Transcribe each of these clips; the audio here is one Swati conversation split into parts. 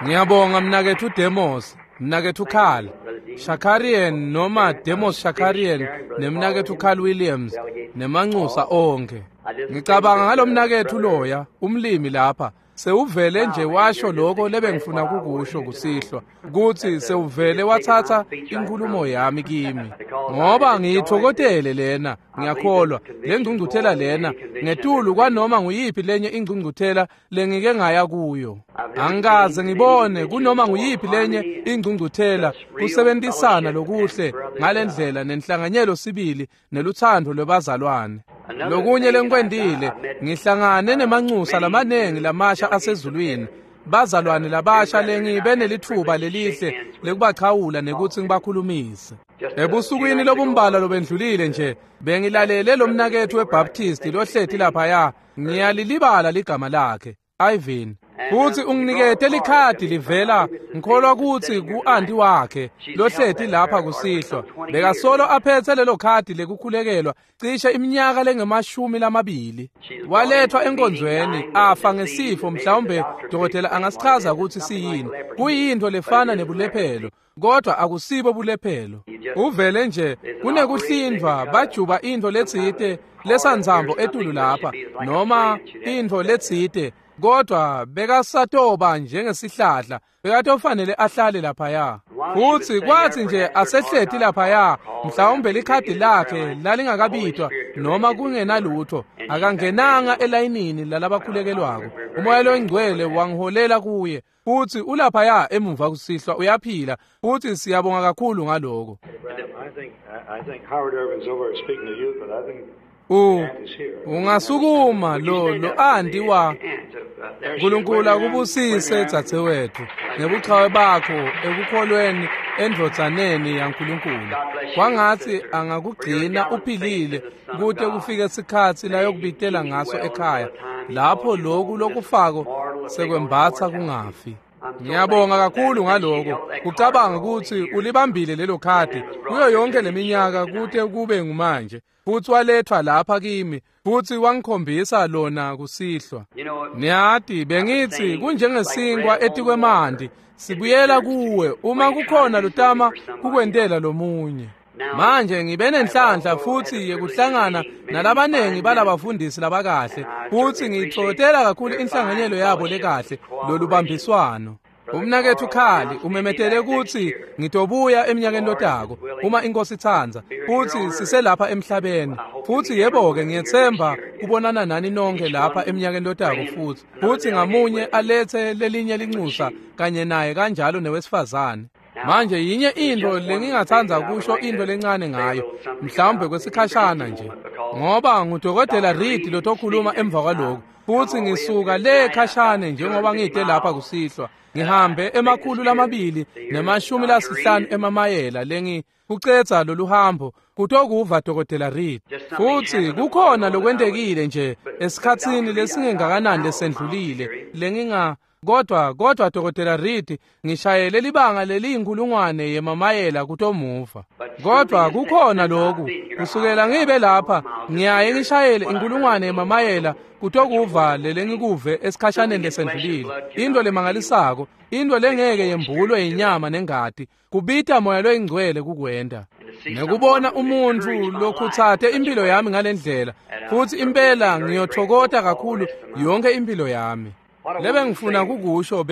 Ngiyabonga mnaketfu Demos, mnaketfu Carl Shakarian noma Demos Shakarian nemnaketfu Carl Williams nemanxusa onkhe. Ngicabanga ngalomnaketfu loya, umlimi lapha, sewuvele nje washo lokho lebengifuna kukusho kusihlwa, kutsi sewuvele watsatsa inkhulumo yami kimi. Ngoba ngiyithokotele lena, ngiyakholwa, lengcungcuthela lena, ngetulu kwanoma nguyiphi lenye ingcungcuthela lengike ngaya kuyo. Angikaze ngibone kunoma nguyiphi lenye ingcungcuthela kusebentisana lokuhle ngalendlela nenhlanganyelo sibili neluthando lwebazalwane. Lokunye lengikwentile, ngihlangane nemanxusa lamanengi lamasha asezulwini, bazalwane labasha lengibe nelitfuba lelihle lekubachawula nekutsi ngibakhulumise. Ebusukwini lobumbalwa lobendlulile nje, bengilalele lomnaketfu weBaptist lohleti laphaya, ngiyalilibala ligama lakhe, Ivan. Futsi unginikete likhadi livela ngikholwa kutsi ku-anti wakhe lohleti lapha kusihlwa. Bekasolo aphethe lelo khadi lekukhulekelwa cishe iminyaka lengemashumi lamabili. Walethwa enkonzweni afa ngesifo, mhlawumbe dokotela angasichaza kutsi siyini. Kuyintfo lefana nebulephelo, kodwa akusibo bulephelo. Uvele nje kunekuhlindvwa, bajuba intfo letsite lesantsambo etulu lapha noma intfo letsite, kodwa bekasatoba njengesihlahla, bekatofanele ahlale laphaya. Futsi kwatsi nje asehleti laphaya, mhlawumbe likhadi lakhe lalingakabitwa noma kungenalutho, akangenanga elayinini lalabakhulekelwako, uMoya loNgcwele wangiholela kuye, futsi ulaphaya emuva kusihlwa, uyaphila, futsi siyabonga kakhulu ngaloko. I think Howard Irvin's over speaking to you, but I think U Aunt is here. Ungasukuma lo anti wa Nkulunkulu akubusise dzadzewethu ngebuchawe bakho ekukholweni endvodzaneni yaNkulunkulu. Kwangatsi angakugcina uphilile kute kufike sikhatsi layokubitela ngaso ekhaya, lapho loku lokufako sekwembatsa kungafi. Ngiyabonga kakhulu ngaloko. Kucabanga kutsi ulibambile lelo khadi kuyo yonke leminyaka kute kube ngumanje, futsi walethwa lapha kimi futsi wangikhombisa lona kusihlwa. Niyati, bengitsi kunjengesinkwa etikwemanti, sibuyela kuwe uma kukhona lotama kukwentela lomunye. Manje ngibe nenhlanhla futsi yekuhlangana nalabanengi balabafundisi labakahle, futsi ngiyitfokotela kakhulu inhlanganyelo yabo lekahle, lolubambiswano. Umnaketfu Khali umemetele kutsi ngitobuya eminyakeni lotako uma iNkosi itsandza, futsi siselapha emhlabeni. Futsi yebo-ke, ngiyetsemba kubonana nani nonke lapha eminyakeni lotako futsi ngamunye alethe lelinye linxusa kanye naye, kanjalo newesifazane. Manje yinye intfo lengingatsandza kusho intfo lencane ngayo, mhlawumbe kwesikhashana nje, ngoba ngudokotela Reed lotokhuluma emva kwaloku, futsi ngisuka le khashane njengoba ngide lapha kusihlwa, ngihambe 250 emamayela lengi kucedza lolu hambo kutokuva dokotela Reed. Futsi kukhona lokwentekile nje esikhatsini lesingengakanani lesendlulile lenginga kodwa dokotela Reed, ngishayele libanga leliyinkulungwane yemamayela kutomuva, kodwa kukhona lokhu kusukela ngibe lapha ngiyaye ngishayele inkulungwane yemamayela kutokuva lelengikuve esikhashaneni lesendlulile, into lemangalisako, into lengeke yembulwe inyama nengati, kubita Moya loyiNgcwele kukwenta, nekubona umuntfu lokhutsate impilo yami ngalendlela. Futsi impela ngiyothokota kakhulu yonke impilo yami. Lebengifuna kukusho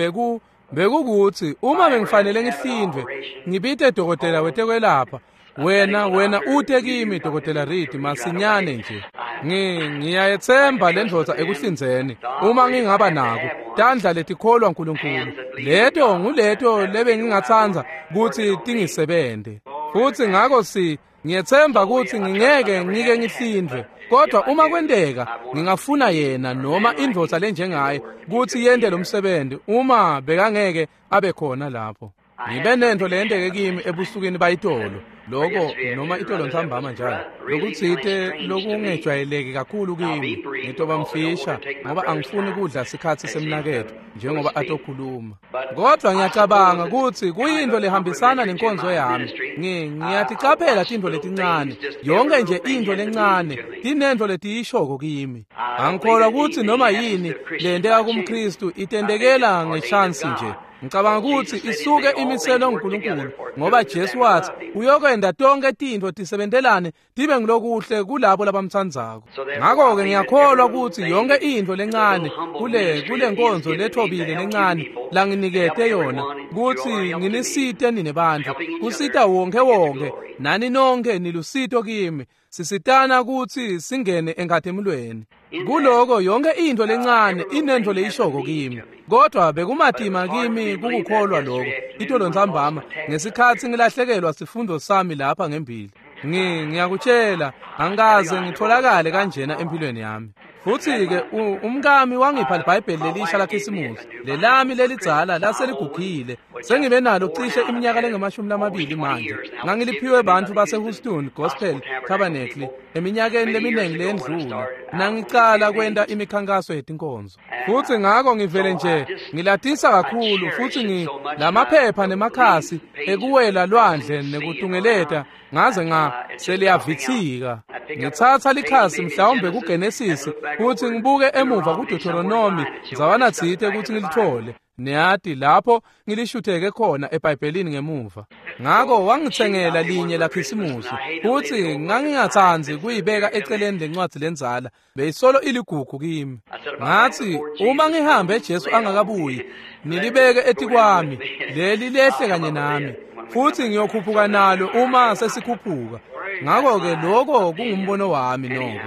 bekukutsi uma bengifanele ngihlindvwe, ngibite dokotela wetekwelapha, wena ute kimi, dokotela Reed, masinyane nje. Ngiyayetsemba lendvodza ekuhlinzeni uma ngingaba nako tandla letikholwa Nkulunkulu, leto nguleto lebengingatsandza kutsi tingisebente. Futsi ngako si ngiyetsemba kutsi ngingeke ngike ngihlindvwe, kodwa uma kwenteka, ngingafuna yena noma indvodza lenjengaye kutsi yente lo msebenzi uma bekangeke abe khona lapho. Ngibe nento leyenteke kimi ebusukwini bayitolo loko noma itolo ntsambama njalo, lokutsite lokungejwayeleki kakhulu kimi. Ngitoba mfisha ngoba angifuni kudla sikhatsi semnaketfu njengoba atokhuluma, kodwa ngiyacabanga kutsi kuyintfo lehambisana nenkonzo yami. Ngiyaticaphela tintfo letincane, yonke nje intfo lencane tinentfo letiyishoko kimi. Angikholwa kutsi noma yini leyenteka kumKhristu itentekela ngeshansi nje. Ngicabanga ukuthi isuke imiselwe nguNkulunkulu, ngoba Jesu wathi uyokwenda tonke tintfo tisebentelane tibe ngilokuhle kulabo labamtsandzako. Ngakho-ke ngiyakholwa ukuthi yonke intfo lencane kule nkonzo lethobile lencane langinikete yona kutsi nginisite nine bantfu, kusita wonke wonke nani nonke nilusito kimi, sisitana kutsi singene enkhatimulweni. Kuloko yonke intfo lencane inentfo leyishoko kimi, kodwa bekumatima kimi kukukholwa lokho itolo ntsambama ngesikhatsi ngilahlekelwa sifundo sami lapha ngembili. Ngiyakutshela, angikaze ngitholakale kanjena empilweni yami. Futhi-ke umkami wangipha libhayibheli lelisha laKhisimusi, lelami lelidzala laseligugile. Sengibe nalo cishe iminyaka lengamashumi manje. Ngangiliphiwe bantfu base-Houston Gospel Tabernacle eminyakeni leminingi leyendlula, nangicala kwenta imikhankaso yetinkonzo. Futhi ngako ngivele nje ngilatisa kakhulu, futhi lamaphepha nemakhasi ekuwela lwandle nekutungeleta ngaze nga seliyavitsika. Ngitsatsa likhasi mhlawumbe kuGenesis kuthi ngibuke emuva kuDeuteronomy ndzawana tsite ukuthi ngilithole. Niyati lapho ngilishutheke khona eBhayibhelini ngemuva. Ngako wangitsengela linye laKhisimusi, futhi ngangingatsandzi kuyibeka eceleni lencwadi lendzala, beyisolo iligugu kimi. Ngathi uma ngihambe Jesu angakabuyi, nilibeke etikwami, leli lehle kanye nami, futhi ngiyokhuphuka nalo uma sesikhuphuka. Ngakho-ke lokho kungumbono wami noko.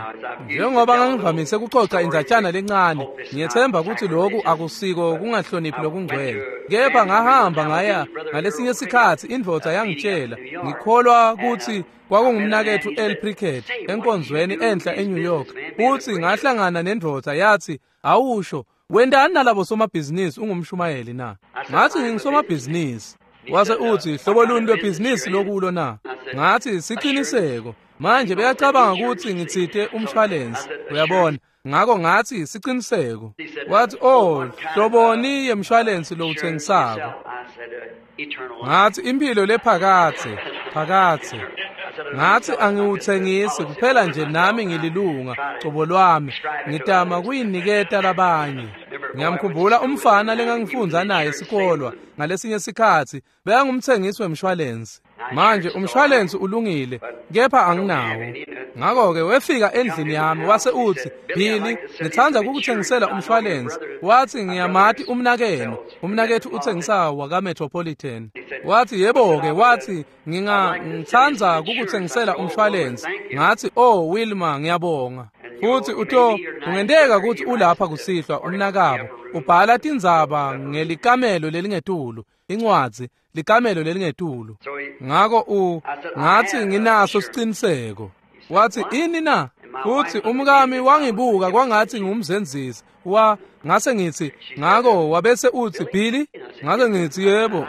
Njengoba ngangivamise kuxoxa indatshana lencane, ngiyethemba ukuthi lokhu akusiko kungahloniphi lokungcwele. Kepha ngahamba ngaya ngalesinye isikhathi indvodza yangitshela, ngikholwa ukuthi kwakungumnaketfu El Prickett enkonzweni enhla eNew York. Futhi ngahlangana nendvodza yathi, "Awusho, wendani nalabo somabhizinisi ungumshumayeli na?" Ngathi ngingisomabhizinisi. Wase uthi, "Hlobo luni lwebhizinisi lokulo na?" Ngathi siqiniseko. Manje beyacabanga ukuthi ngitsite umshwalensi, uyabona. Ngako ngathi siqiniseko. Wathi, "Oh, hloboni yemshwalensi lowuthengisako?" Ngathi impilo lephakathe, phakathe. Ngathi angiwuthengisi kuphela nje nami ngililunga cobo lwami, ngitama kuyiniketa labanye. Ngiyamkhumbula umfana lengangifundza naye esikolwa ngalesinye isikhatsi, bekangumthengisi wemshwalensi. Manje umshwalensi ulungile, kepha anginawo. Ngakho-ke wefika endlini yami wase uthi, "Billy, ngithanda kukuthengisela umshwalensi." Wathi, "Ngiyamati umnakenu, umnakethu uthengisa wakaMetropolitan." Wathi, "Yebo-ke," wathi, "ngithanda kukuthengisela umshwalensi." Ngathi, "Oh Wilma, ngiyabonga." Futhi uto kungenteka ukuthi ulapha kusihlwa umnakabo ubhala tindzaba ngelikamelo lelingetulu, incwadzi likamelo lelingetulu. Ngako ngathi nginaso siciniseko. Wathi, "Ini na?" Futhi umkami wangibuka kwangathi ngumzenzisi. Ngase ngithi, ngako wabese uthi, "Billy?" Ngase ngithi, "Yebo,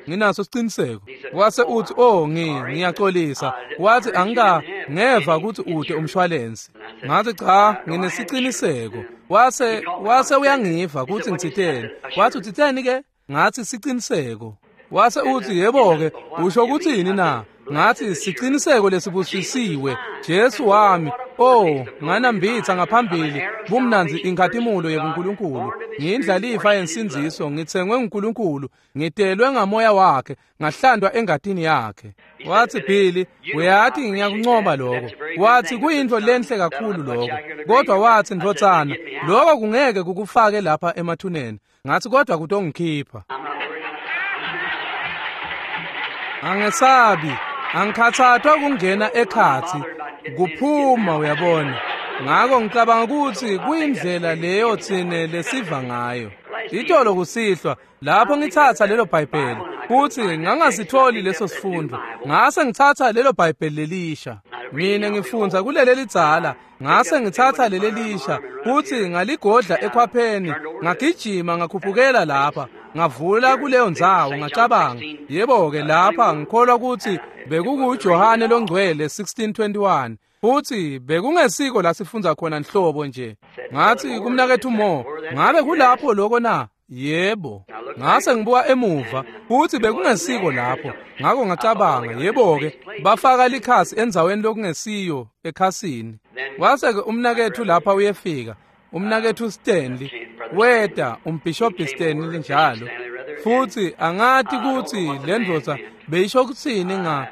nginaso siciniseko." Wase uthi, "Oh, ngiyaxolisa." Wathi, "Angika ngeva ukuthi ude umshwalensi." Ngathi, "Cha, nginesiciniseko." Wase uyangiva ukuthi ngitsiteni. Wathi, "Utsiteni ke?" Ngathi, "Siciniseko." Wase uthi, "Yebo-ke, usho ukuthini na?" Ngathi, "Siciniseko lesibusisiwe, Jesu wami. Oh, nganambitha ngaphambili bumnanzi inkhatimulo yebuNkulunkulu. Ngiyindlalifa yensindziso, ngitsengwe nguNkulunkulu, ngitelwe ngamoya wakhe, ngahlandwa engatini yakhe." Wathi, "Billy, uyathi ngiyakuncoma lokho." Wathi, "Kuyintfo lenhle kakhulu lokho. Kodwa wathi, ndvodzana, lokho kungeke kukufake lapha emathuneni." Ngathi, "Kodwa kutongikhipha." Angesabi, angikhathathwa kungena ekhathi, kuphuma uyabona. Ngako ngicabanga ukuthi kuyindlela leyo thine lesiva ngayo. Itolo kusihlwa lapho ngithatha lelo Bhayibheli, futhi ngangasitholi leso sifundo. Ngase ngithatha lelo Bhayibheli lelisha. Mina ngifundza kuleli lidzala, ngase ngithatha leli lisha, futhi ngaligodla ekhwapheni, ngagijima ngakhuphukela lapha, ngavula kuleyo ndzawo, ngacabanga, yebo-ke lapha ngikholwa ukuthi bekukuJohane longcwele 16:21. Futhi bekungesiko la sifundza khona nhlobo nje. Ngathi kumnakethu Mo, "Ngabe kulapho lokho na?" Yebo. Ngase ngibuka emuva, futhi bekungesiko lapho. Ngako ngacabanga, yebo-ke, bafaka likhasi endzaweni lokungesiyo ekhasini. Wase-ke umnakethu lapha uyefika, umnakethu Stanley, weta umbhishobhi Stanley njalo. Futsi angati kutsi lendvodza beyisho kutsini nga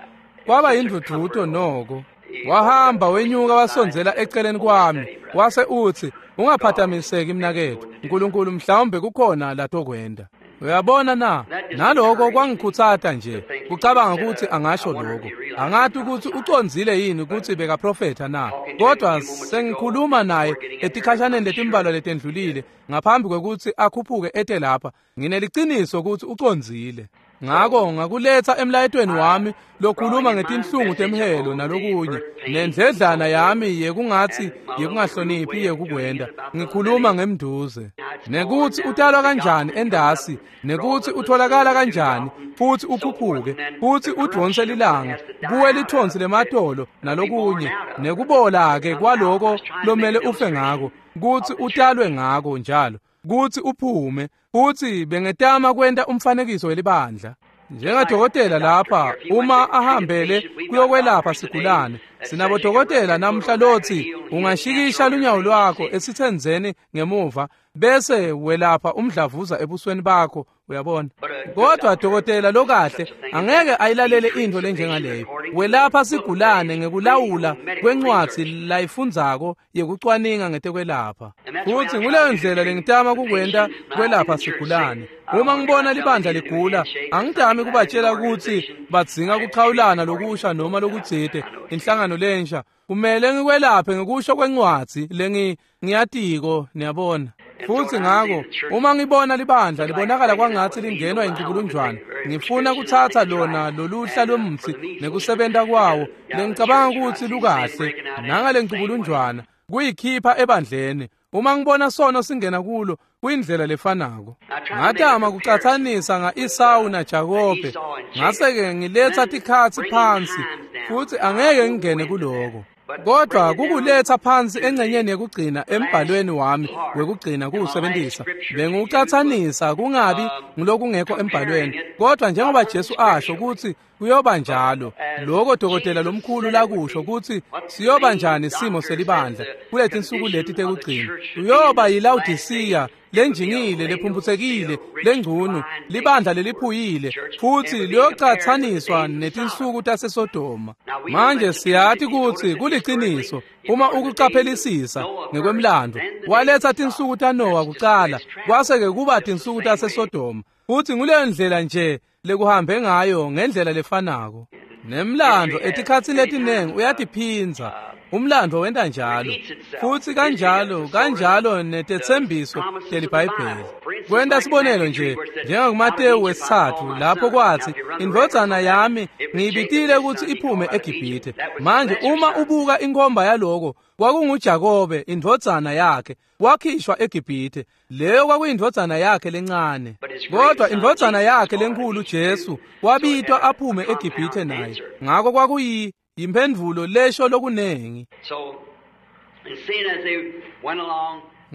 kwaba yindvudvuto noko. Wahamba wenyuka wasondzela eceleni kwami wase utsi, "Ungaphathamiseki mnaketfu, uNkulunkulu mhlawumbe kukhona latokwenda." Uyabona na? Naloko kwangikhutsata nje kucabanga ukuthi angasho lokho. Angati ukuthi ucondzile yini ukuthi bekaprofetha na, kodwa sengikhuluma naye etikhashaneni letimbalwa letendlulile ngaphambi kwekutsi akhuphuke ete lapha. Ngineliciniso ukuthi ucondzile. Ngako ngakuletsa emlayetweni wami lokhuluma ngetinhlungu temhelo nalokunye, nendledlana yami yekungatsi yekungahloniphi yekukwenda. Ngikhuluma ngemnduze, nekutsi utalwa kanjani endasi, nekutsi utholakala kanjani, futsi ukhuphuke, futsi udvonse lilanga, kuwe lithonsi lematolo nalokunye, nekubola-ke kwaloko lomele ufe ngako, kutsi utalwe ngako njalo, kutsi uphume. Futsi bengetama kwenta umfanekiso welibandla. Njengadokotela lapha, uma ahambele kuyokwelapha sigulane, sinabodokotela namhla lotsi ungashikisha lunyawo lwakho esitsendzeni ngemuva bese welapha umdlavuza ebusweni bakho, uyabona. Kodwa dokotela lokahle angeke ayilalele intfo lenjengaleyo. Welapha sigulane ngekulawula kwencwadzi layifundzako yekucwaninga ngetekwelapha. Futsi nguleyo ndlela lengitama kukwenta kwelapha sigulane. Uma ngibona libandla ligula, angitami kubatshela kutsi badzinga kuchawulana lokusha noma lokutsite, inhlangano lensha. Kumele ngikwelaphe ngekusho kwencwadzi lengiyatiko, niyabona. Futsi ngako uma ngibona libandla libonakala kwangatsi lingenwa incukulunjwana, ngifuna kutsatsa lona loluhla lwemtsi nekusebenta kwawo lengicabanga kutsi lukahle nangale ncukulunjwana kuyikhipha ebandleni. Uma ngibona sono singena kulo, kuyindlela lefanako. Ngatama kucatsanisa nga-Esawu naJakobe, ngase-ke ngiletsa tikhatsi phansi, futsi angeke ngingene kuloko. Kodwa kukuletsa phansi engcenyeni yekugcina embhalweni wami wekugcina kuwusebentisa. Bengiwucatsanisa kungabi ngulokungekho embhalweni, kodwa njengoba Jesu asho kutsi kuyoba njalo, loko dokotela lomkhulu lakusho kutsi siyoba njani simo selibandla kuletinsuku leti tekugcina. Kuyoba yiLawodisiya lenjingile, lephumphutsekile, lengcunu, libandla leliphuyile, futsi liyocatsaniswa netinsuku taseSodoma. Manje siyati kutsi kuliciniso uma ukucaphelisisa ngekwemlando. Waletsa tinsuku taNowa kucala, kwase-ke kuba tinsuku taseSodoma, futsi nguleyo ndlela nje lekuhambe ngayo ngendlela lefanako. Nemlando etikhatsini letiningi uyatiphindza. Umlando wenta njalo, futsi kanjalo kanjalo netetsembiso teliBhayibheli. Kwenta sibonelo nje, njengakuMatewu wesitsatfu, lapho kwatsi, "Indvodzana yami ngiyibitile kutsi iphume eGibhithe." Manje uma ubuka inkhomba yaloko, kwakunguJakobe indvodzana yakhe, wakhishwa eGibhithe. Leyo kwakuyindvodzana yakhe lencane. Kodwa indvodzana yakhe lenkhulu Jesu wabitwa aphume eGibhithe naye. Ngako kwakuyi yimphendvulo lesho lokunengi.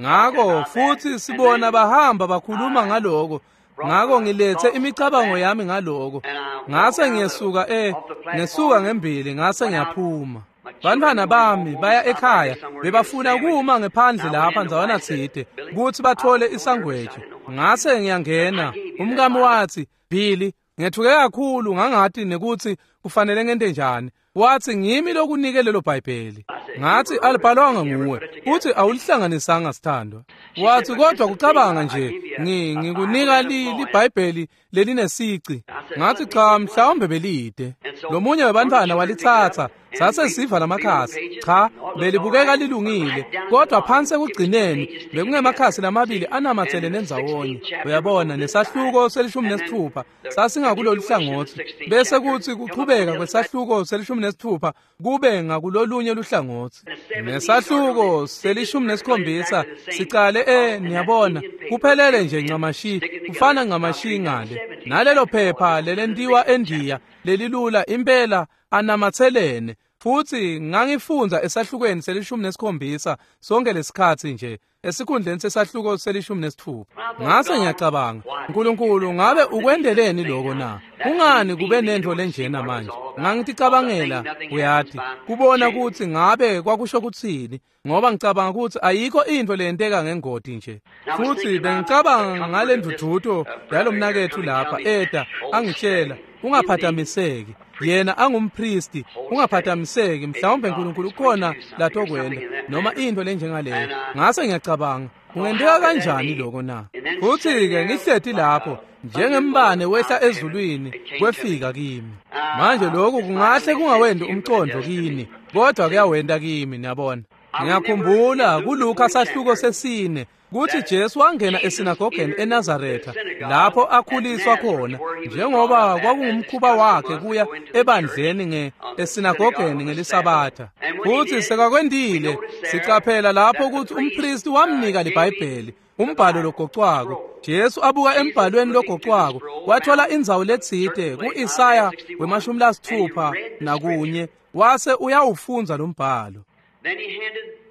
Ngako futsi sibona bahamba bakhuluma ngaloko. Ngako ngilethe imicabango yami ngaloko. Ngase ngiyesuka ngesuka ngembili ngase ngiyaphuma. Bantfwana bami baya ekhaya bebafuna kuma ngephandle lapha ndzawana tsite kutsi bathole isangweji. Ngase ngiyangena. Umkami watsi, "Billy, ngethuke kakhulu ngangati nekutsi kufanele ngente njani." Watsi, "Ngimi lokunike lelo Bhayibheli." Ngathi, "Alibhalwanga nguwe, futhi awulihlanganisanga sithandwa." Wathi, "Kodwa kucabanga nje, ngikunika liBhayibheli lelinesici." Ngathi, "Cha, mhlawumbe belide." Lomunye webantfwana walitsatsa, sase siva lamakhasi. Cha, belibukeka lilungile, kodwa phansi ekugcineni bekungemakhasi lamabili anamatselene ndzawonye. Uyabona, nesahluko se-16 sasingakulolu hlangothi, bese kuthi kuchubeka kwesahluko se-16 kube ngakulolunye luhlangothi. Nesahluko se-17 sicale niyabona, kuphelele nje ncamashi, kufana ncamashi ngale. Nalelo phepha lelentiwa eNdiya lelilula impela anamatselene. Futhi ngangifundza esahlukweni se-17 sonke lesikhatsi nje esikhundleni sesahluko se-16. Ngase ngiyacabanga, uNkulunkulu ngabe ukwendeleni lokho na? Kungani kube nento lenjena manje? Ngangiticabangela, uyati, kubona ukuthi ngabe kwakusho kuthini, ngoba ngicabanga ukuthi ayikho into leyenteka ngengodi nje. Futhi bengicabanga ngale ndududo yalomnakethu lapha eda angitshela, ungaphathamiseki. Yena angumpristi, ungaphathamiseki, mhlawumbe uNkulunkulu ukhona latokwenda noma into lenjengaleyo. Ngase ngiyacabanga, kungenteka kanjani lokho na? Futhi-ke ngihleti lapho njengembane wehla ezulwini kwefika kimi. Manje lokhu kungahle kungawendi umcondo kini, kodwa kuyawenda kimi, niyabona. Ngiyakhumbula kuLuka sahluko 4 kuthi Jesu wangena esinagogeni eNazaretha lapho akhuliswa khona, njengoba kwakungumkhuba wakhe kuya ebandleni esinagogeni ngelisabatha. Futhi sekakwendile, sicaphela lapho ukuthi umpristi wamnika liBhayibheli, umbhalo logocwako. Jesu abuka embhalweni logocwako wathola indzawo letsite ku-Isaya 61 wase uyawufundza lo mbhalo.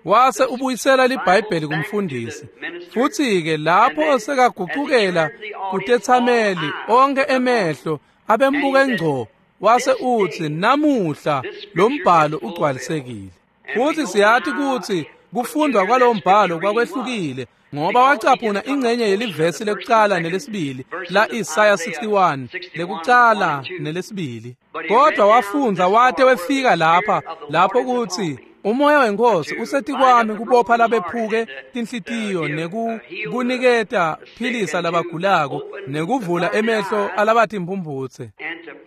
Wase ubuyisela liBhayibheli kumfundisi. Futhi-ke lapho sekagucukela kutethameli onke emehlo abembuke ngco, wase uthi, namuhla lo mbhalo ugcwalisekile. Futhi siyathi ukuthi kufundwa kwalo mbhalo kwakwehlukile, ngoba wacaphuna ingcenye yelivesi lekucala nelesibili la Isaya 61 lekucala nelesibili. Kodwa wafundza wate wefika lapha lapho kuthi umoya wenkosi usetikwami kubopha labephuke tinhlitiyo nekukuniketa philisa labagulako nekuvula emehlo alabatimphumphutse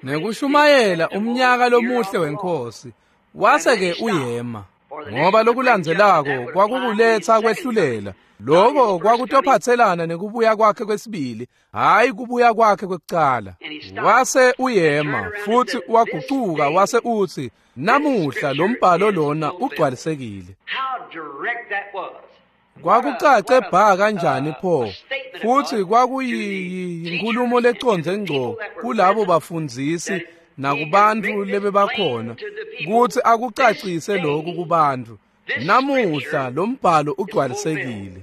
nekushumayela umnyaka lomuhle wenkosi. Wase-ke uyema, ngoba lokulandzelako kwakukuletha kwehlulela. Lokho kwakutophatselana nekubuya kwakhe kwesibili, hayi kubuya kwakhe kwekucala. Wase uyema futhi wagucuka wase uthi, namuhla lo mbhalo lona ugcwalisekile. Kwakucace bha kanjani pho? Futhi kwakuyinkulumo lecondze ngco kulabo bafundzisi nakubantu lebebakhona kuthi akucacise lokhu kubantu. Namuhla lo mbhalo ugcwalisekile,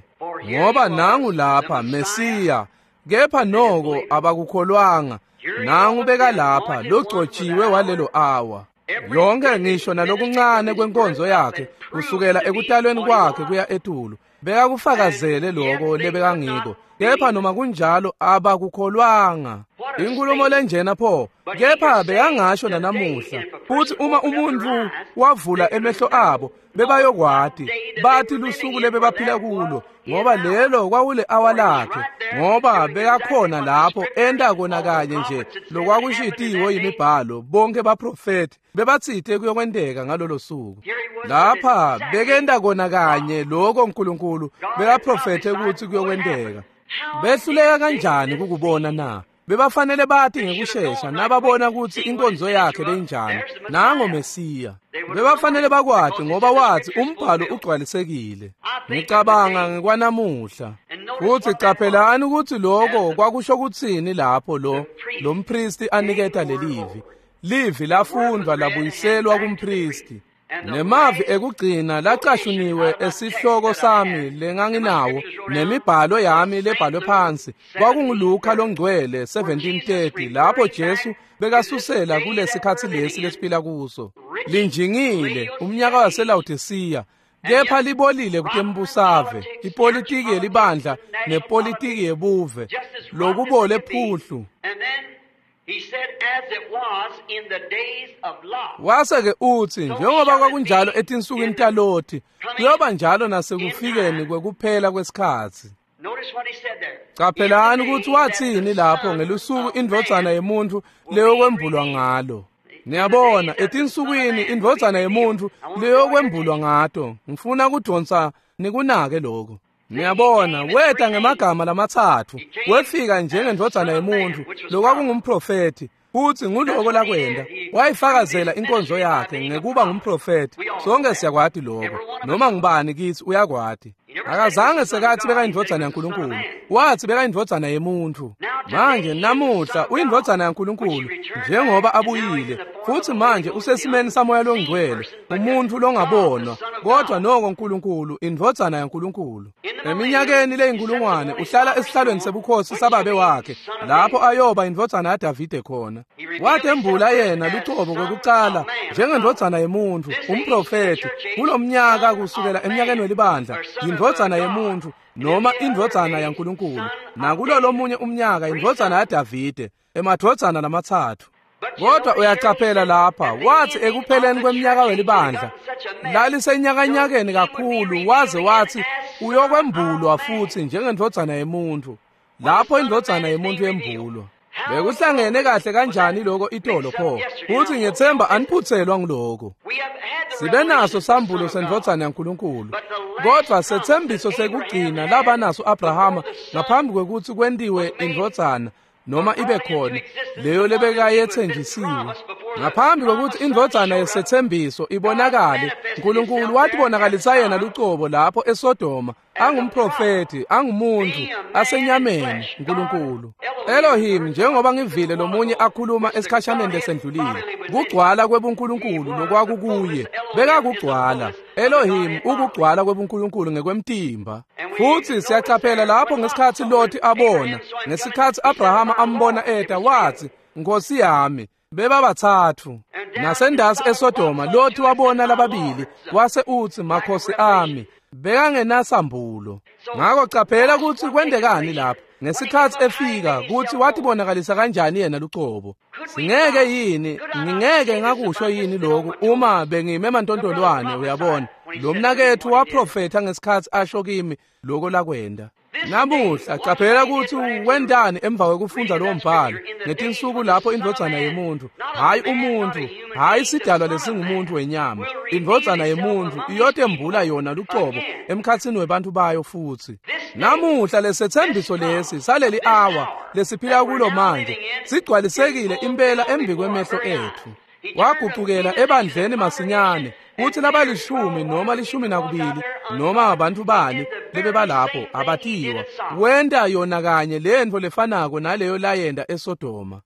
ngoba nangu lapha Mesiya, kepha noko abakukholwanga. Nangu beka lapha logcotshiwe walelo awa. Yonke ngisho nalokuncane kwenkonzo yakhe kusukela ekutalweni kwakhe kuya etulu bekakufakazele lokho lebekangiko, kepha noma kunjalo abakukholwanga. Inkulumo lenjena pho, kepha bekangasho nanamuhla. Futhi uma umuntu wavula emehlo abo bebayokwati bathi lusuku lebebaphila kulo, ngoba lelo kwakule awa lakhe, ngoba bekakhona lapho enta kona kanye nje lokwakushitiwe yimibhalo. Bonke baprofeti bebatsite kuyokwenteka ngalolo suku. Lapha bekenta kona kanye lokho uNkulunkulu bekaprofethe ukuthi kuyokwenteka. Behluleka kanjani kukubona na? Bebafanele bathi ngekushesha nababona ukuthi inkonzo yakhe beyinjani. Nango Mesiya. Bebafanele bakwati ngoba wathi umbhalo ugcwalisekile. Ngicabanga ngekwanamuhla. Futhi caphelani ukuthi lokho kwakusho ukuthini lapho lo mpristi aniketa lelivi. Livi lafundwa labuyiselwa kumpristi. Nemavi ekugcina lacashuniwe esihloko sami lenganginawo nemibhalo yami lebhalwe phansi kwakunguLuka longcwele 17:30 lapho Jesu bekasusela kulesikhatsi lesi lesiphila kuso. Linjingile umnyaka waseLaodicea, kepha libolile kutembusave, ipolitiki yelibandla nepolitiki yebuve, lokubole phuhlu. Wase-ke uthi, njengoba kwakunjalo etinsukwini taLothi, kuyoba njalo nasekufikeni kwekuphela kwesikhatsi. Caphelani ukuthi wathini lapho ngelusuku indvodzana yemuntfu leyokwembulwa ngalo. Niyabona, etinsukwini indvodzana yemuntfu leyokwembulwa ngato. Ngifuna kudonsa nikunake lokho. Niyabona, weta ngemagama lamatsatfu, wefika njengendvodzana yemuntfu lokwakungumprofethi, futhi nguloko lakwenda. Wayifakazela inkonzo yakhe ngekuba ngumprofethi. Sonke siyakwati lokho, noma ngubani kithi uyakwati. Akazange sekathi bekayindvodzana yaNkulunkulu, wathi bekayindvodzana yemuntfu. Manje namuhla uyindvodzana yaNkulunkulu njengoba abuyile, futhi manje usesimeni saMoya loNgcwele, umuntu longabonwa, kodwa noko uNkulunkulu, indvodzana yaNkulunkulu. Eminyakeni leyinkulungwane uhlala esihlalweni sebukhosi sababe wakhe, lapho ayoba indvodzana yaDavide khona. Watembula yena lucobo kwekucala njengendvodzana yemuntfu, umprofethi, kulomnyaka kusukela eminyakeni welibandla, indvodzana yemuntfu noma indvodzana yaNkulunkulu, nakulo lomunye umnyaka indvodzana yaDavide, emadvodzana lamatsatfu. Kodwa uyacaphela lapha, wathi ekupheleni kweminyaka welibandla lalisenyakanyakeni kakhulu, waze wathi uyokwembulwa futhi njengendvodzana yemuntfu. Lapho indvodzana yemuntfu yembulwa. Bekuhlangene kahle kanjani lokho itolo pho? Futhi ngiyethemba aniphuthelwa ngiloko. Sibe naso sambulo sendvodzana yaNkulunkulu, kodwa sethembiso sekugcina laba naso Abrahama ngaphambi kwekutsi kwentiwe indvodzana noma ibe khona leyo lebekayethenjisiwe. Ngaphambi kwekutsi indvodzana yesethembiso ibonakale, uNkulunkulu watibonakalisa yena lucobo lapho eSodoma, angumprofethi, angumuntu, asenyameni, uNkulunkulu Elohim. Njengoba ngivile lomunye akhuluma esikhashaneni lesendlulile, kugcwala kwebuNkulunkulu lokwakukuye bekakugcwala Elohim, ukugcwala kwebuNkulunkulu ngekwemtimba. Futhi siyacaphela lapho ngesikhatsi Loti abona, ngesikhatsi Abrahama ambona eta, wathi, Nkosi yami, bebabathathu. Nasendasi eSodoma Loti wabona lababili, wase uthi, makhosi ami, bekangenasambulo. Ngakho caphela kutsi kwendekani lapha ngesikhatsi efika, kutsi watibonakalisa kanjani yena lucobo. Singeke yini, ngingeke ngakusho yini lokhu uma bengime emantontolwane? Uyabona, lo mnaketfu waprofetha ngesikhatsi asho kimi lokho lakwenda. Namuhla caphela kutsi wendani emva kwekufundza lowo mbhalo ngetinsuku lapho indvodzana yemuntfu, hhayi umuntfu, hhayi sidalwa lesingumuntu wenyama, indvodzana yemuntfu iyotembula yona lucobo emkhatsini webantfu bayo futhi. Namuhla lesethembiso lesi saleli awa lesiphila kulo manje sigcwalisekile impela embi kwemehlo etfu. Wagucukela ebandleni masinyane, kuthi labalishumi noma 12 noma abantu bani lebebalapho abatiwa. Wenta yona kanye lentfo lefanako naleyo layenta eSodoma.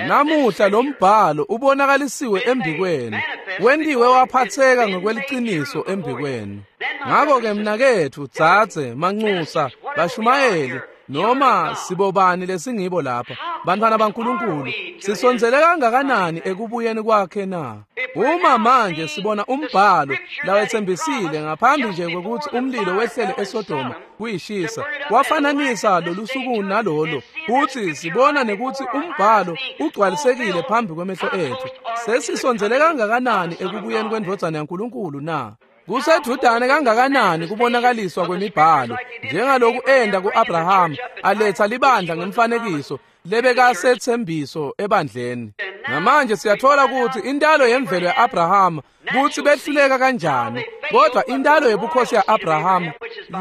Namuhla lo mbhalo ubonakalisiwe embikwenu, wentiwe waphatheka ngokweliciniso embikwenu. Ngakho-ke mnaketfu, dzadze, manxusa, bashumayeli, noma sibobani lesingibo lapha, bantfwana baNkulunkulu, sisondzele kangakanani ekubuyeni kwakhe na? Uma manje sibona umbhalo lawetsembisile ngaphambi nje kwekutsi umlilo wehlele eSodoma kuyishisa, wafananisa lolusuku nalolo, futhi sibona nekutsi umbhalo ugcwalisekile phambi kwemehlo etfu, sesisondzele kangakanani ekubuyeni kwendvodzana yaNkulunkulu na? Kusedvudane kangakanani kubonakaliswa kwemibhalo, njengaloku enda ku-Abrahama aletha libandla ngemfanekiso lebekasethembiso ebandleni. Namanje siyathola ukuthi intalo yemvelo ya-Abrahama kutsi behluleka kanjani, kodwa intalo yebukhosi ya-Abrahama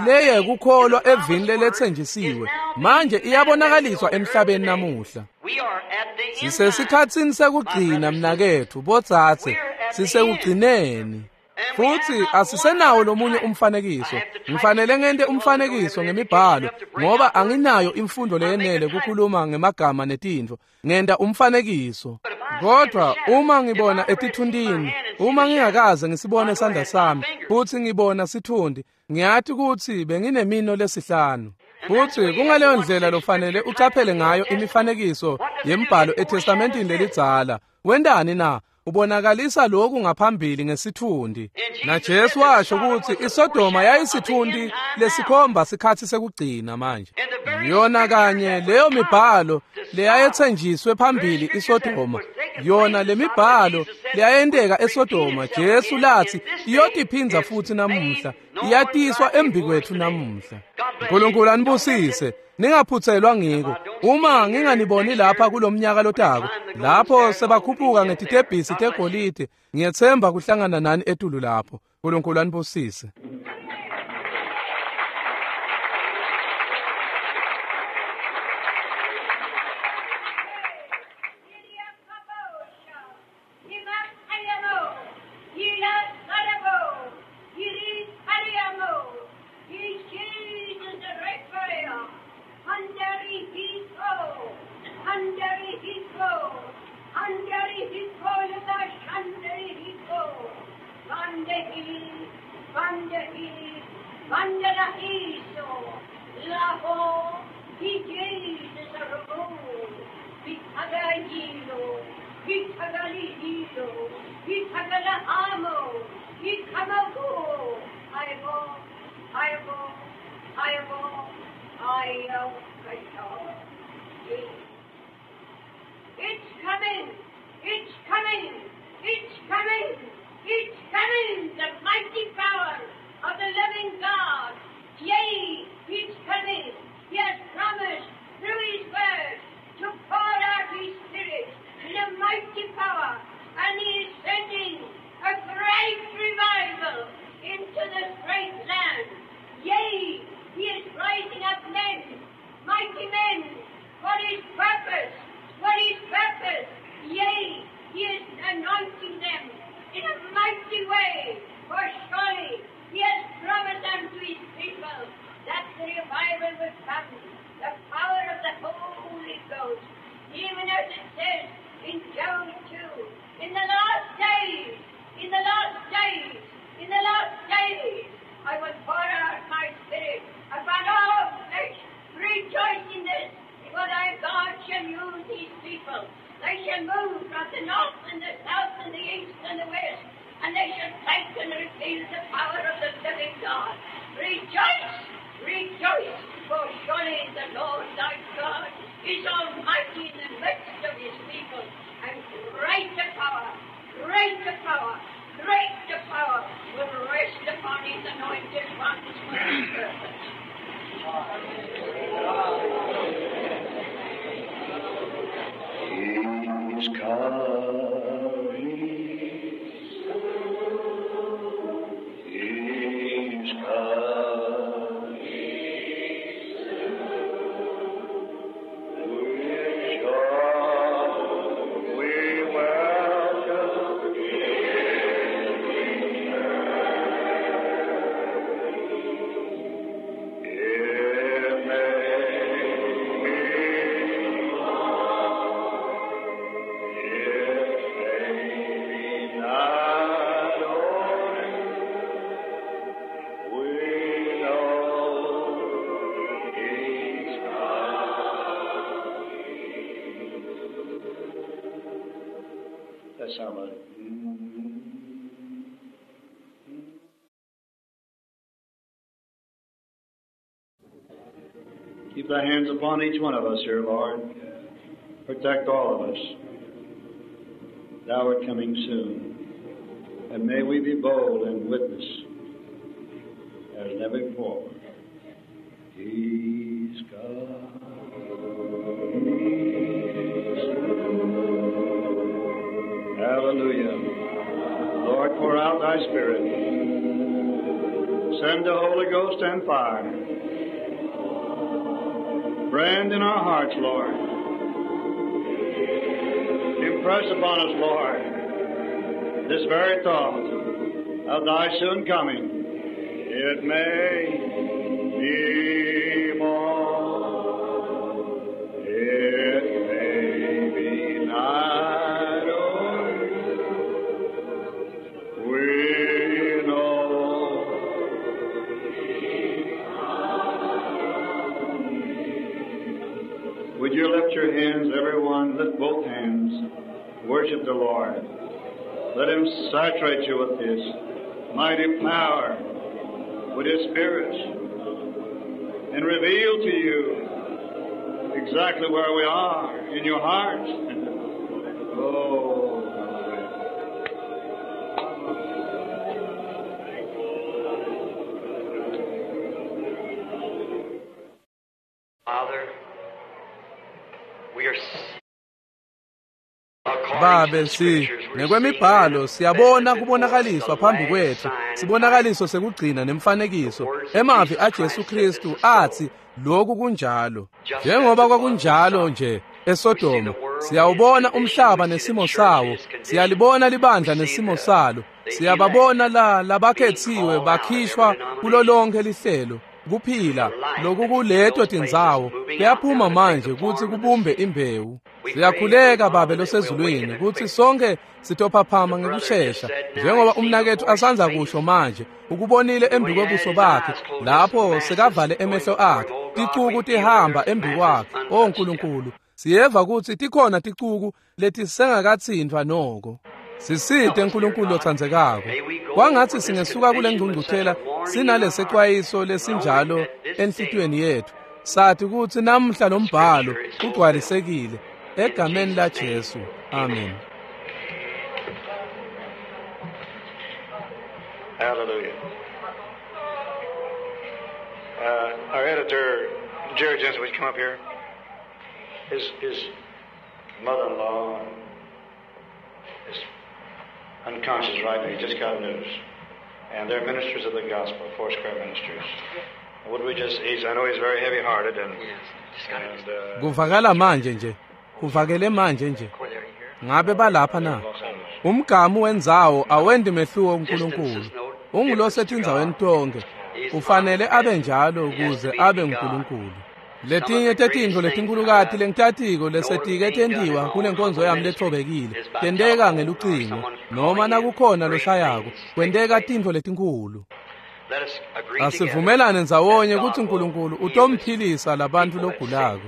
leye kukholwa evini lelethenjisiwe manje iyabonakaliswa emhlabeni namuhla. Sisesikhatsini sekugcina mnaketfu, bodzadze, sisekugcineni. Futhi asisenawo lomunye umfanekiso. Ngifanele ngente umfanekiso ngemibhalo ngoba anginayo imfundo leyenele kukhuluma ngemagama netintfo. Ngenta umfanekiso. Kodwa uma ngibona etithuntini, uma ngingakaze ngisibone isandla sami futhi ngibona sithundi, ngiyati kutsi benginemino lesihlanu. Futhi kungaleyo ndlela lofanele ucaphele ngayo imifanekiso yembhalo eTestamentini lelidzala. Wentani na? Ubonakalisa lokhu ngaphambili ngesithundi. NaJesu washo kutsi iSodoma yayisithundi lesikhomba sikhatsi sekugcina manje. Yona kanye leyo mibhalo leyayethenjiswe phambili iSodoma, yona lemibhalo leyayenteka eSodoma, Jesu lathi iyotiphindza futhi namuhla, iyatiswa embi kwethu namuhla. uNkulunkulu anibusise. Ningaphuthelwa ngiko. Uma nginganiboni lapha kulomnyaka lotako, lapho sebakhuphuka ngetitebhisi tegolide, ngiyethemba kuhlangana nani etulu lapho. uNkulunkulu anibusise. It's coming! It's coming! It's coming! It's coming! The mighty power of the living God! Yea, it's coming! He has promised through His word to pour out His Spirit in a mighty power, and He is sending a great revival into this great land. Yea, He is rising up men, mighty men, for His purpose. For His purpose. Yea, He is anointing them in a mighty way. For surely He has promised unto His people that the revival will come, the power of the Holy Ghost. Even as it says in Joel 2, in the last days, in the last days, in the last days, I will pour out my Spirit upon all flesh. Rejoice in this, for thy God shall use His people. They shall move from the north and the south and the east and the west, and they shall take and reveal the power of the living God. Rejoice, rejoice, for surely the Lord thy God is almighty in the midst of His people, and greater power, greater power, greater power will rest upon His anointed ones for His purpose. He's coming. He's coming. With joy we welcome It may be That's how much. Keep thy hands upon each one of us here, Lord. Protect all of us. Thou art coming soon. And may we be bold and witness as never before. He's coming soon. Hallelujah. Lord, pour out thy Spirit. Send the Holy Ghost and fire. Brand in our hearts, Lord. Impress upon us, Lord, this very thought of thy soon coming. It may be more, it may be night or we know. Would you lift your hands, everyone? Lift both hands. Worship the Lord. Let Him saturate you with His mighty power, with His Spirit, and reveal to you exactly where we are in your heart. Oh, Father, we are Babe si ngekwemibhalo siyabona kubonakaliswa phambi kwethu sibonakaliso sekugcina nemfanekiso emavi aJesu Kristu athi lokhu kunjalo njengoba kwakunjalo nje eSodoma. Siyawubona umhlaba nesimo sawo, siyalibona libandla nesimo salo, siyababona la labakhethiwe bakhishwa kulo lonke lihlelo kuphila lokukuleto tindzawo kuyaphuma manje kutsi kubumbe imbewu. Siyakhuleka Babe losezulwini kutsi sonke sitophaphama ngekushesha njengoba umnaketfu asandza kusho manje ukubonile embi kwebuso bakhe lapho sekavale emehlo akhe ticuku tihamba embi kwakhe. O Nkulunkulu, siyeva kutsi tikhona ticuku letisengakatsintfwa noko. Sisite Nkulunkulu lotsandzekako. Kwangatsi singesuka kule ngcungcuthela sinalesecwayiso lesinjalo enhlitiyweni yetfu, sathi kutsi namuhla lo mbhalo ugcwalisekile egameni la Jesu. Amen. Hallelujah. Our editor, Jerry Jensen, would you come up here? His mother-in-law is unconscious right now. He just got news. And they're ministers of the gospel, Foursquare Ministries. Would we just, I know he's very heavy-hearted. And Kuvakala manje nje. Kuvakele manje nje. Ngabe balapha na? Umgamu wendzawo awendi mehluko uNkulunkulu. Ungulosetindzaweni tonke. Ufanele abe njalo ukuze abe uNkulunkulu. Letinye tetintfo letinkhulukati lengitatiko lesetike tentiwa kulenkonzo yami lethobekile tenteka ngelucingo noma nakukhona loshayako kwenteka tintfo letinkhulu. Asivumelane ndzawonye kutsi Nkulunkulu utomphilisa labantfu logulako.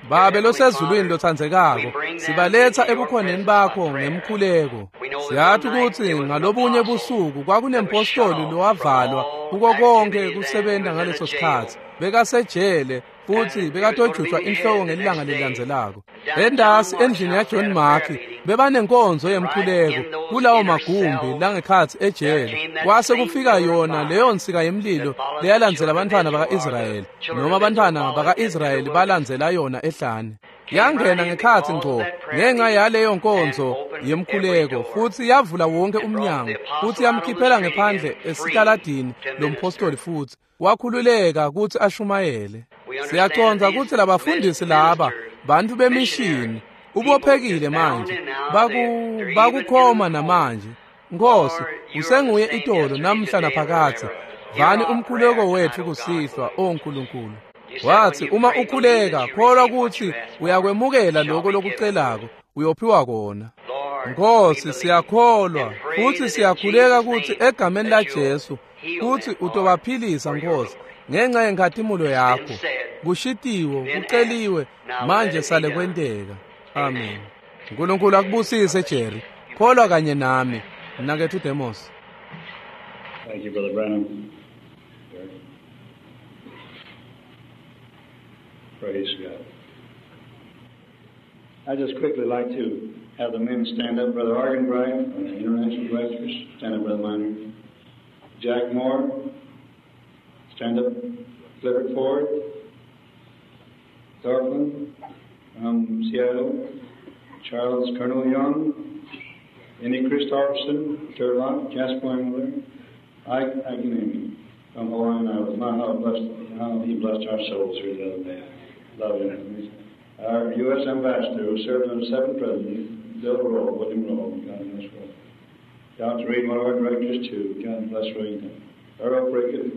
Babe losezulwini lotsandzekako, sibaletsa ebukhoneni bakho ngemkhuleko. Siyathi kutsi ngalobunye busuku kwakunempostoli lowavalwa kuko konke kusebenta ngaleso sikhatsi. Bekasejele futsi bekatojutjwa inhloko ngelilanga lelilandzelako. Endasi endlini yaJohn Mark bebanenkonzo yemkhuleko kulawo magumbi langekhatsi ejele. Kwase kufika yona leyo nsika yemlilo leyalandzela bantfwana baka-Israyeli, noma bantfwana baka-Israyeli balandzela yona ehlane. Yangena ngekhatsi ngco ngenxa yaleyo nkonzo yemkhuleko futsi yavula wonke umnyango futsi yamkhiphela ngephandle esitaladini lompostoli futsi wakhululeka kutsi ashumayele. Siyacondza kutsi labafundisi laba bantfu bemishini ubophekile manje bakukhoma namanje. Nkosi, usenguye itolo namhla naphakadze. Vani umkhuleko wetfu kusihlwa, o Nkulunkulu. Wathi uma ukhuleka kholwa kutsi uyakwemukela lokho lokucelako uyophiwa kona. Nkosi, siyakholwa futsi siyakhuleka kutsi egameni la Jesu kutsi utobaphilisa Nkosi ngenxa yenkhatimulo yakho. Kushitiwe, kuceliwe, manje sale kwenteka. Amen. Nkulunkulu akubusise Jerry. Kholwa kanye nami. Mnaketfu Demos. Thank you, Brother Branham. Praise God. I just quickly like to have the men stand up. Brother Arganbright, the International Directors, stand up, Brother Miner. Jack Moore, stand up. Clifford Ford, Thorfinn from Seattle, Charles Colonel Young, Andy Christofferson, Turlock, Jasper Engler, Ike Agnemi from Hawaiian Islands. My, how he blessed our souls here the other day. Love him. Our U.S. Ambassador, who served under 7 presidents, Bill Rowe, William Rowe, God bless Rowe. Dr. Reed, one of our directors, too. God bless Reed. Earl Prickett.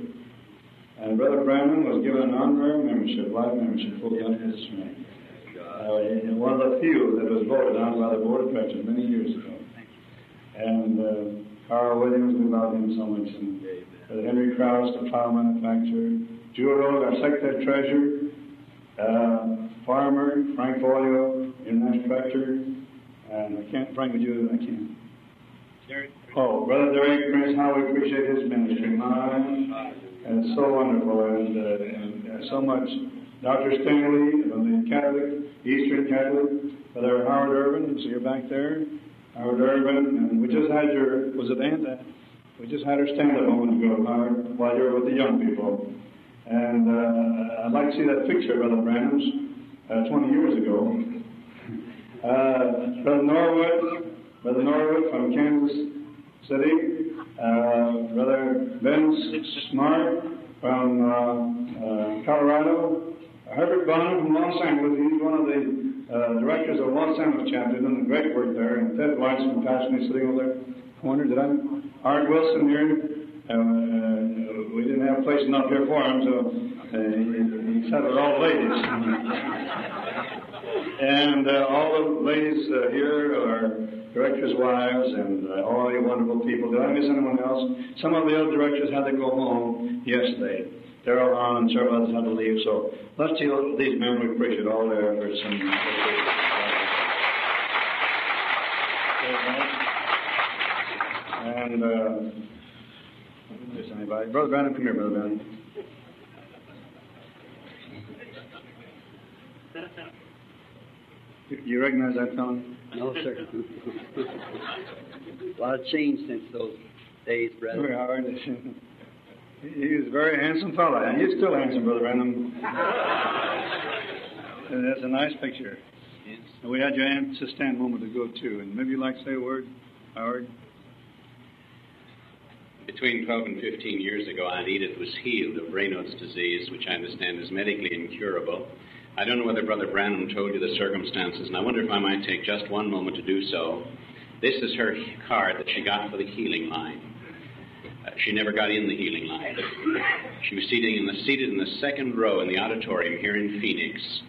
And Brother Branham was given an honorary membership, life membership, fully under his name. One of the few that was voted on by the board of directors many years ago. And Carl Williams, we love him so much. And Brother Henry Krause, the plow manufacturer. Jewel Rose, our secretary treasurer. Farmer, Frank Folio, international director. And I can't, Frank, would you? I can't. Oh, Brother Derek Prince, how we appreciate his ministry. My, and it's so wonderful, and so much. Dr. Stanley from the Catholic, Eastern Catholic, Brother Howard Irvin, so you're back there. Howard Irvin, and we just had your, was it Aunt? We just had her stand up a moment ago, Howard, while you were with the young people. And I'd like to see that picture, Brother Branham's, 20 years ago. Brother Norwood from Kansas City, Brother Ben Smart from Colorado, Herbert Bonham from Los Angeles. He's one of the directors of Los Angeles chapter, doing a great work there. And Ted Weiss from Pasadena sitting over there. Corner, did I? Art Wilson here. We didn't have a place enough here for him, so he sat with all the ladies. And all the ladies here are directors' wives and all you wonderful people. Did I miss anyone else? Some of the other directors had to go home yesterday. Darrell Hahn and several others had to leave. So let's see these men. We appreciate all their efforts. And miss anybody? Brother Branham, come here, Brother Branham. You recognize that fellow? No, sir. A lot of change since those days, brother. Very hard. He was a very handsome fellow, and he's still handsome, Brother Branham. And that's a nice picture. Yes. And we had your aunt to stand a moment ago, too. And maybe you'd like to say a word, Howard? Between 12 and 15 years ago, Aunt Edith was healed of Raynaud's disease, which I understand is medically incurable. I don't know whether Brother Branham told you the circumstances, and I wonder if I might take just one moment to do so. This is her card that she got for the healing line. She never got in the healing line. She was seated in the second row in the auditorium here in Phoenix.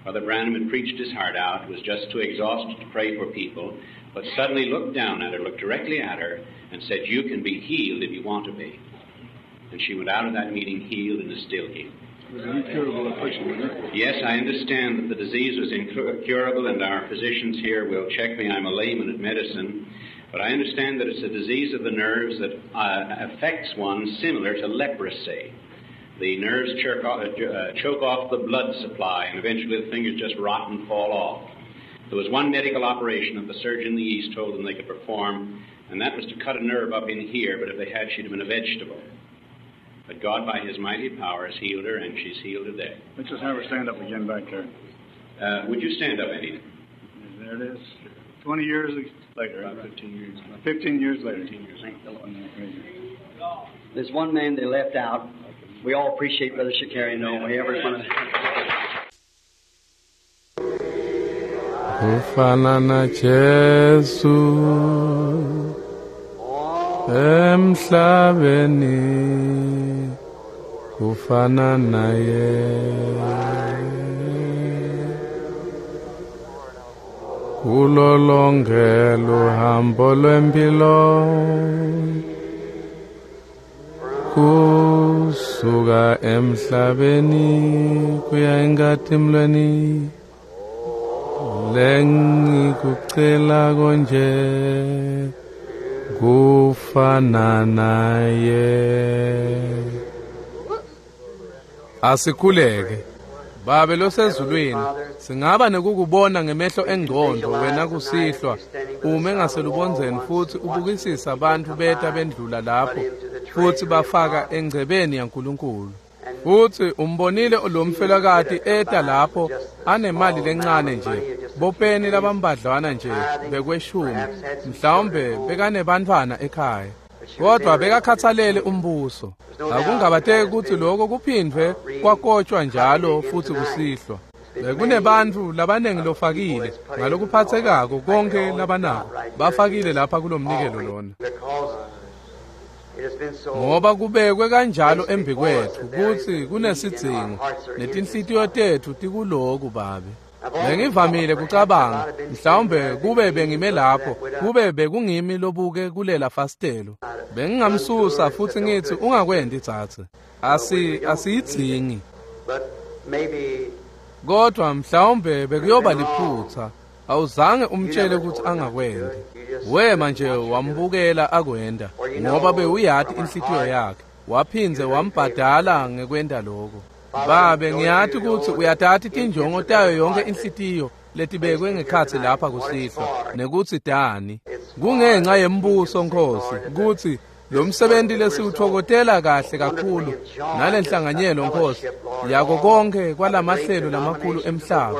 Brother Branham had preached his heart out, was just too exhausted to pray for people, but suddenly looked down at her, looked directly at her, and said, "You can be healed if you want to be." And she went out of that meeting healed and is still healed. It was an incurable affliction, wasn't it? Yes, I understand that the disease was incurable, and our physicians here will check me. I'm a layman at medicine. But I understand that it's a disease of the nerves that affects one similar to leprosy. The nerves choke off the blood supply, and eventually the fingers just rot and fall off. There was one medical operation that the surgeon in the East told them they could perform, and that was to cut a nerve up in here, but if they had, she'd have been a vegetable. But God, by His mighty power, has healed her, and she's healed today. Let's just have her stand up again back there. Would you stand up, Eddie? There it is. 20 years later. About 15 years. 15 years later. 15 years. Thank the Lord. There's one man they left out. We all appreciate Brother Shakarian, don't we? Every one of Kufana na Jesu emhlabeni kufana naye kulo lonke luhambo lwempilo kusuka emhlabeni kuya enkatimlweni lengikucela konje kufana naye. Asikhuleke. Babe losezulwini, singaba nekukubona ngemehlo engqondo wena kusihlwa ume ngaselubondzeni futhi ubukisisa abantu beta bendlula lapho futhi bafaka engcebeni yaNkulunkulu. Futhi umbonile lo mfelokati eta lapho anemali lencane nje, bopeni labambadlwana nje bekweshumi, mhlawumbe bekanebantfwana ekhaya. Kodwa bekakhathalele umbuso. Akungabateki ukuthi lokho kuphindwe kwakotshwa njalo futhi kusihlwa. Bekunebantfu labanengi lofakile ngalokuphathekako konke labanako bafakile lapha kulomnikelo lona. Ngoba kubekwe kanjalo embi kwethu kutsi kunesidzingo netinhlitiyo tetfu tikuloku Babe. Bengivamile kucabanga mhlawumbe kube bengime lapho kube bekungimi lobuke kulela fastelo bengingamsusa futhi ngithi ungakwendi tsatse asiyidzingi. Kodwa mhlawumbe bekuyoba liphutha awuzange umtshele ukuthi angakwendi. Wema nje wambukela akwenda ngoba bewuyati inhlitiyo yakhe waphindze wambhadala ngekwenda lokho. Babe ngiyati ukuthi uyathatha tinjongo tayo yonke inhlitiyo letibekwe ngekhatsi lapha kusihlwa nekutsi dani kungenxa yembuso Nkosi kutsi lo msebenzi lesiwuthokotela kahle kakhulu nalenhlanganyelo Nkosi yako konke kwalamahlelo lamakhulu emhlaba.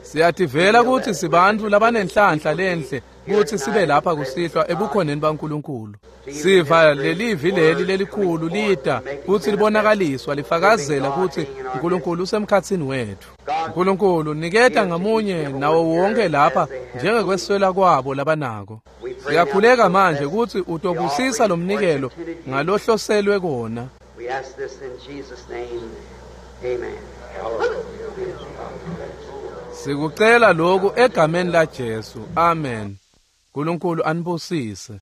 Siyativela kutsi sibantu labanenhlanhla lenhle kutsi sibe lapha kusihlwa ebukhoneni baNkulunkulu. Siva lelivi leli lelikhulu lida kutsi libonakaliswa lifakazela kutsi uNkulunkulu usemkhatsini wethu. uNkulunkulu niketa ngamunye nawo wonke lapha njengekweswela kwabo labanako. Siyakhuleka manje kutsi utobusisa lo mnikelo ngalohloselwe kona. We ask this in Jesus' name. Amen. Sikucela lokhu egameni laJesu. Amen. Nkulunkulu anibusise.